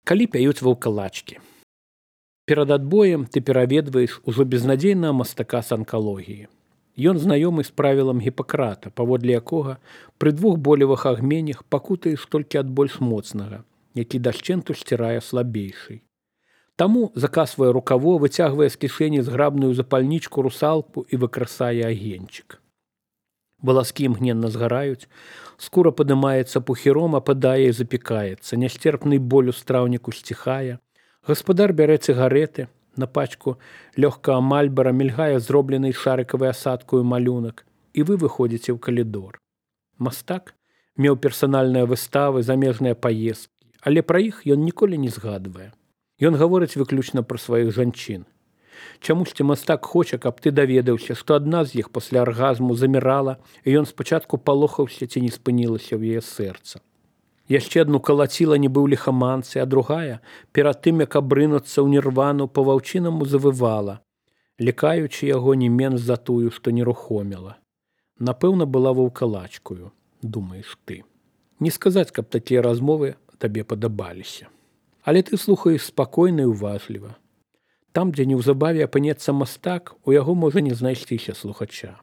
Калі пяюць ваўкалачкі. Перад адбоем ты пераведваеш ужо безнадзейнага мастака з анкалогіі. Ён знаёмы з правілам Гіпакрата, паводле якога пры двух болевых агменях пакутаеш толькі ад больш моцнага, які дашчэнту сцірае слабейшый. Таму закасвае рукаво, выцягвае з кішэні зграбную запальнічку русалку і выкрасае агеньчык. Валаскі імгненна згараюць, скура падымаецца пухіром, ападае і запікаецца, нясцерпны боль у страўніку сціхае. Гаспадар бярэ цыгареты, на пачку лёгкага мальбара мільгае зроблены шарыкавай асадкаю малюнак, і вы выходзіце ў калідор. Мастак меў персанальныя выставы, замежныя паездкі, але пра іх ён ніколі не згадвае. Ён гаворыць выключна пра сваіх жанчын. Чамусьці мастак хоча, каб ты даведаўся, што адна з іх пасля аргазму замірала, і ён спачатку палохаўся, ці не спынілася ў яе сэрца. Яшчэ адну калаціла нібы ў ліхаманцы, а другая, перад тым, як абрынуцца ў нірвану, па ваўчынаму завывала, лікаючы яго не менш за тую, што нерухоміла. Напэўна, была ваўкалачкою, думаеш ты. Не сказаць, каб такія размовы табе падабаліся. Але ты слухаеш спакойна і уважліва. Там, дзе неўзабаве апынецца мастак, у яго можа не знайсціся слухача.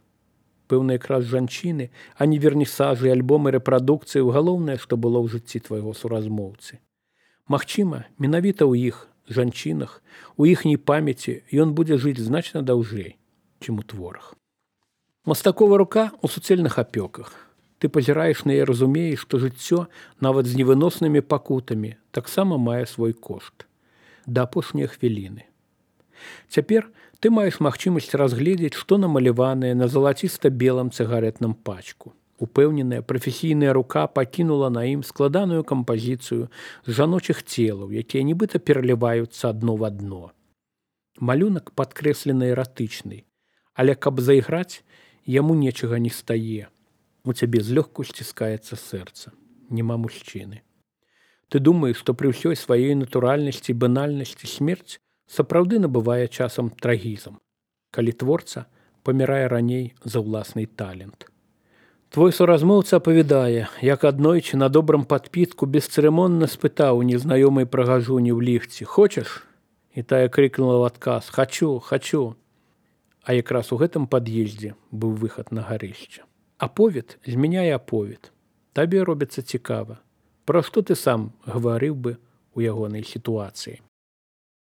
Пэўна, якраз жанчыны, а не вернісажы, альбомы рэпрадукцыі, галоўнае, што было ў жыцці твайго суразмоўцы. Магчыма, менавіта ў іх, жанчынах, у іхняй памяці ён будзе жыць значна даўжэй, чым у творах. Мастакова рука ў суцэльных апёках. Ты пазіраеш на яе, разумееш, што жыццё, нават з невыноснымі пакутамі, таксама мае свой кошт. Да апошняй хвіліны. Цяпер ты маеш магчымасць разгледзець, што намаляванае на залаціста-белым цыгаретным пачку. Упэўненая прафесійная рука пакінула на ім складаную кампазіцыю з жаночых целаў, якія нібыта пераліваюцца адно в адно. Малюнак падкрэслены эратычны, але каб зайграць, яму нечага не стае. У цябе злёгку сціскаецца сэрца. Няма мужчыны. Ты думаеш, што пры ўсёй сваёй натуральнасці і банальнасці смерць сапраўды набывае часам трагізм, калі творца памірае раней за ўласны талент. Твой суразмоўца апавядае, як аднойчы на добрым падпітку бесцырымонна спытаў у незнаёмай прыгажуні ў ліфце: «Хочаш?» І тая крыкнула ў адказ: «Хачу, хачу». А якраз у гэтым пад'ездзе быў выхад на гарышча. Аповед змяняе аповед. Табе робіцца цікава. Пра што ты сам гаварыў бы ў ягонай сітуацыі?